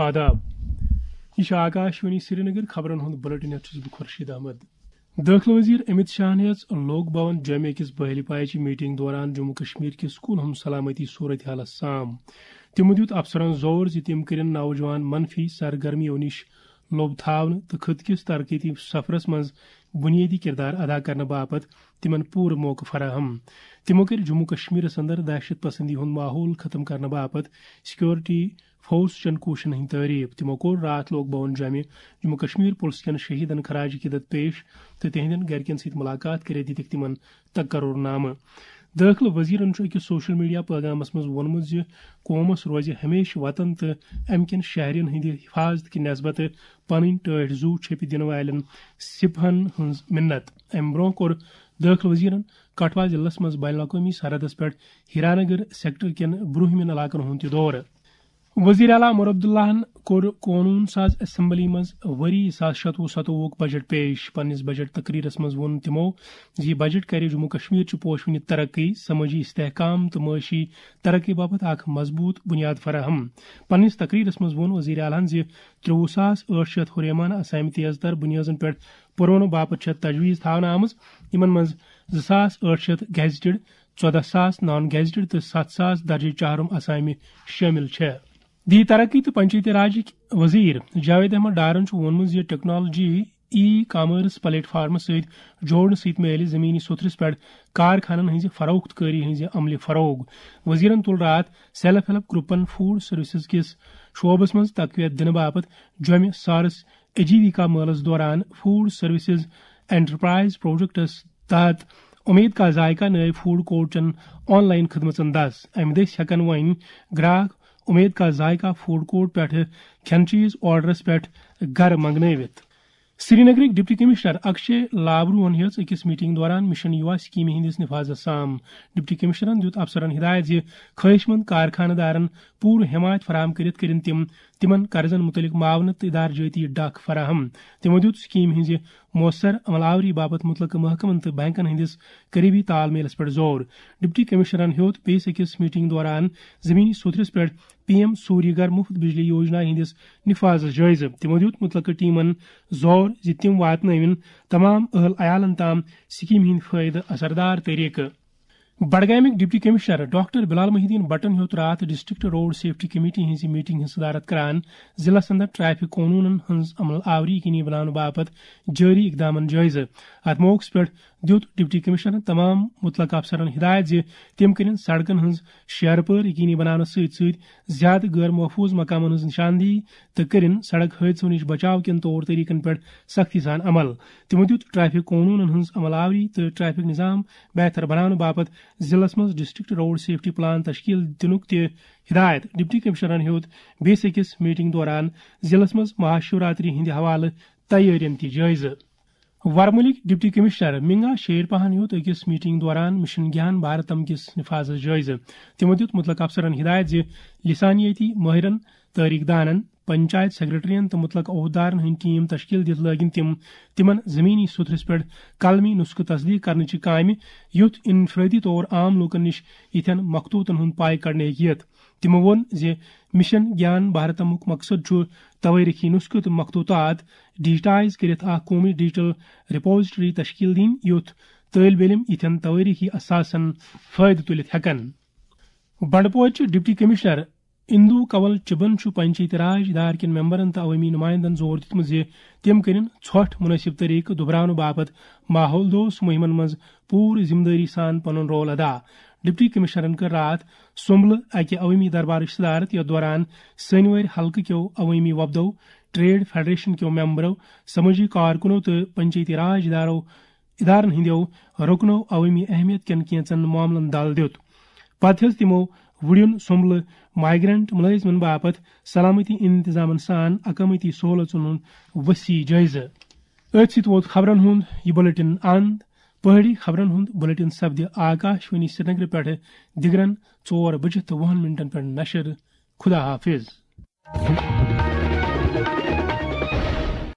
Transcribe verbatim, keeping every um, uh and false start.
آداب۔ یہ چھِ آکاشوانی سرینگر۔ خبرن ہُنٛد بلیٹن ہیتھ چھُس بہٕ خورشید احمد۔ دٲخلہٕ وزیر امت شاہن ہیٚژ لوک بھون جامع کِس بحلی پایچہِ میٹنگ دوران جموں کشمیر کہِ سکولن ہُنٛد سلامتی صورتحالس سام۔ تِمو دیُت افسرن زور زِ تِم کٔرِن نوجوان منفی سرگرمیو نِش لوٚب تھاونہٕ تہٕ خطہٕ کِس ترقیتی سفرس منٛز بنیٲدی کردار ادا کرنہٕ باپتھ تِمن پوٗرٕ موقعہٕ فراہم۔ تِمو کٔرۍ جموں کشمیرس اندر دہشت پسندی ہُنٛد ماحول ختم کرنہٕ باپتھ سیکورٹی فورس چٮ۪ن کوٗششن ہٕنٛدۍ تعریف۔ تِمو کوٚر راتھ لوک بھون جامع جموں کشمیر پُلس کٮ۪ن شہیدن خراج عقیدت پیش تہٕ تِہنٛدٮ۪ن گرِکٮ۪ن سۭتۍ مُلاقات کٔرِتھ دِتِکھ تِمن تقرر نامہٕ۔ دٲخلہٕ وزیرن چھُ أکِس سوشل میڈیا پیغامس منٛز ووٚنمُت زِ قومس روزِ ہمیشہٕ وطن تہٕ امہِ کٮ۪ن شہرین ہٕنٛدِ حفاظت کہِ نسبتہٕ پنٕنۍ ٹٲٹھۍ زُو چھٔپِتھ دِنہٕ والٮ۪ن سپہن ہٕنٛز مِنت۔ امہِ برونٛہہ کوٚر دٲخلہٕ وزیرن کٹھوا ضلعس منٛز بین الاقوٲمی سرحدس پٮ۪ٹھ ہیرانگر سیکٹر کٮ۪ن برٛونٛہمٮ۪ن علاقن ہُنٛد تہِ دورٕ۔ وزیر اعلیٰ عمر عبداللہن کوٚر قونوٗن ساز اسمبلی منٛز ؤری زٕ ساس شتوُہ ستووُہُک بجٹ پیش۔ پننِس بجٹ تقریرس منٛز ووٚن تِمو زِ یہِ بجٹ کرِ جموں کشمیر چہِ پوشونہِ ترقی، سمٲجی استحکام تہٕ معاشی ترقی باپتھ اکھ مضبوٗط بُنیاد فراہم۔ پننِس تقریرس منٛز ووٚن وزیر اعلیٰ ہن زِ ترٛوٚوُہ ساس ٲٹھ شیٚتھ ہُریمان اسامہِ تیز تر بُنیٲدن پٮ۪ٹھ پُرونہٕ باپتھ چھےٚ تجویز تھاونہٕ آمٕژ، یِمن منٛز زٕ ساس ٲٹھ شیٚتھ گیزٹڈ، ژۄدہ ساس نان گیزٹڈ تہٕ ستھ ساس درجہ چہارم اسامہِ شٲمِل چھےٚ۔ دی ترقی تہٕ پنچایتی راجٕکۍ وزیر جاوید احمد ڈارن چھُ ووٚنمُت زِ ٹیکنالوجی ای کامرس پلیٹ فارمس سۭتۍ جوڑنہٕ سۭتۍ میلہِ زمینی سوٚتھرِس پٮ۪ٹھ کارخانن ہٕنٛزِ فروخت کٲری ہٕنٛزِ عملہِ فروغ۔ وزیرن تُل راتھ سیلف ہیلپ گروپن فوڈ سروسز کِس شعبس منٛز تقویت دِنہٕ باپتھ جوٚمہِ سارس اجیویکا مٲلس دوران فوڈ سروسز انٹرپرائز پروجیکٹس تحت امید کا ذائقہ نٲوۍ فوڈ کورٹ چٮ۪ن آن لائن خدمژن دس۔ امہِ دٔسۍ ہٮ۪کن وۄنۍ گراہک امید کا ذائقہ فوڈ کورٹ پٮ۪ٹھٕ کھٮ۪ن چیز آرڈرس پٮ۪ٹھ گرٕ منگنٲوِتھ۔ سرینگرٕکۍ ڈپٹی کمشنر اکشے لابروہن ہیٚژ أکِس میٹنگ دوران مشن یوا سکیمہِ ہٕنٛدِس نفاذس سام۔ ڈپٹی کمشنرن دیُت افسرن ہدایت زِ خٲہِش مند کارخانہٕ دارن پوٗرٕ حمایت فراہم کٔرِتھ کٔرِن تِم تِمن قرضن متعلق معاونت تہٕ ادارٕ جٲتی ڈکھ فراہم۔ تِمو دیُت سکیمہِ ہٕنٛزِ مؤثر عمل آوری باپتھ متعلقہٕ محکمن تہٕ بینکن ہٕنٛدِس قریبی تال میلس پٮ۪ٹھ زور۔ ڈپٹی کمشنرن ہیوٚت بیٚیِس أکِس میٹنگ دوران زمینی سوٚتھرِس پٮ۪ٹھ پی ایم سوریہ گھر مفت بجلی یوجنا ہٕنٛدِس نفاذس جٲیزٕ۔ تِمو دیُت متعلقہٕ ٹیمن زور زِ تِم واتنٲوِن تمام اہل عیالن تام سکیمہِ ہٕنٛدۍ فٲیدٕ اثردار طریقہٕ۔ بڈگامٕکۍ ڈپٹی کمشنر ڈاکٹر بلال محی الدین بٹن ہیوٚت راتھ ڈسٹرکٹ روڈ سیفٹی کمیٹی ہٕنٛزِ میٹنگ ہٕنٛز صدارت کران ضلعس اندر ٹریفک قونوٗنن ہٕنٛز عمل آوری یقینی بناونہٕ باپتھ جٲری اقدامن جٲیزٕ۔ اتھ موقعس پٮ۪ٹھ دیُت ڈپٹی کمشنرن تمام متعلقہٕ افسرن ہدایت زِ تِم کٔرِن سڑکن ہٕنٛز شیرٕ پٲر یقینی بناونس سۭتۍ سۭتۍ زیادٕ غٲر محفوظ مقامن ہٕنٛز نشاندہی تہٕ کٔرِن سڑک حٲدثو نِش بچاو کٮ۪ن طور طریقن پٮ۪ٹھ سختی سان عمل۔ تِمو دیُت ٹریفک قونوٗنن ہٕنٛز عمل آوری تہٕ ٹریفک نظام بہتر بناونہٕ باپتھ ضلعس منٛز ڈسٹرکٹ روڈ سیفٹی پلان تشکیل دِنُک تہِ ہدایت۔ ڈپٹی کمشنرن ہیوٚت بیٚیِس أکِس میٹنگ دوران ضلعس منٛز مہاشیوراتری ہٕنٛدِ حوالہٕ تیٲرین تہِ جٲیزٕ۔ ورمُلٕکۍ ڈپٹی کمشنر منگا شیر پہن ہیوٚت أکِس میٹنگ دوران مشن گیان بھارتم کِس نفاذس جٲیزٕ۔ تِمو دیُت متعلقہٕ افسرن ہدایت زِ لسانیٲتی مٲہرن، تٲریخ دانن، پنچایت سیکرٹرین تہٕ متعلقہٕ عہدٕدارن ہٕنٛدۍ ٹیم تشکیل دِتھ لٲگِن تِم تِمن زمینی سوٚتھرِس پٮ۪ٹھ قلمی نسخہٕ تصدیق کرنٕچہِ کامہِ، یُتھ انفرادی طور عام لوٗکن نِش یِتھٮ۪ن مخطوطن ہُنٛد پاے کڑنہٕ ہیٚکہِ یِتھ۔ تِمو ووٚن زِ مشن گیان بھارتمُک مقصد چھُ توٲریخی نسخہٕ تہٕ مخطوطات ڈیجیٹائز کٔرِتھ اکھ قومی ڈیجیٹل ریپوزیٹری تشکیل دِنۍ، یُتھ طٲلب علم یِتھٮ۪ن توٲریخی اثاثن فٲیدٕ تُلِتھ ہٮ۪کن۔ بنڈپورچہِ ڈپٹی کمشنر اندو کنول چبن چھُ پنچایتی راج ادارٕ کٮ۪ن ممبرن تہٕ عوٲمی نمائندن زور دیُتمُت زِ تِم کٔرِن ژھۄٹھ مُنٲسِب طریقہٕ دُبراونہٕ باپتھ ماحول دوست مُہِمن منٛز پوٗرٕ ذمہٕ دٲری سان پنُن رول ادا۔ ڈپٹی کمشنرن کٔر راتھ سُمبلہٕ اکہِ عوٲمی دربارٕچ صدارت، یتھ دوران سٲنوٲرۍ حلقہٕ کیو عوٲمی وفدو، ٹریڈ فیڈریشن کیو ممبرو، سمٲجی کارکنو تہٕ پنچایتی راج ادارو ادارن ہٕنٛدیو رُکنو عوٲمی اہمیت کٮ۪ن کینٛژن معاملن دل دیُت۔ پتہٕ ہیوٚت تِمو وُڈیُن سُمبلہٕ مائیگرنٹ مُلٲزمن باپتھ سلامتی انتظامن سان اقامتی سہولژن ہُنٛد وسیع جٲیزٕ۔ أتھۍ سۭتۍ ووت خبرن ہُنٛد یہِ بلیٹن اند۔ پہٲڑی خبرن ہُنٛد بلیٹن سپدِ آکاشوانی سرینگرٕ پٮ۪ٹھٕ دِگرن ژور بجہِ تہٕ وُہن منٹن پٮ۪ٹھ نشر۔ خدا حافظ۔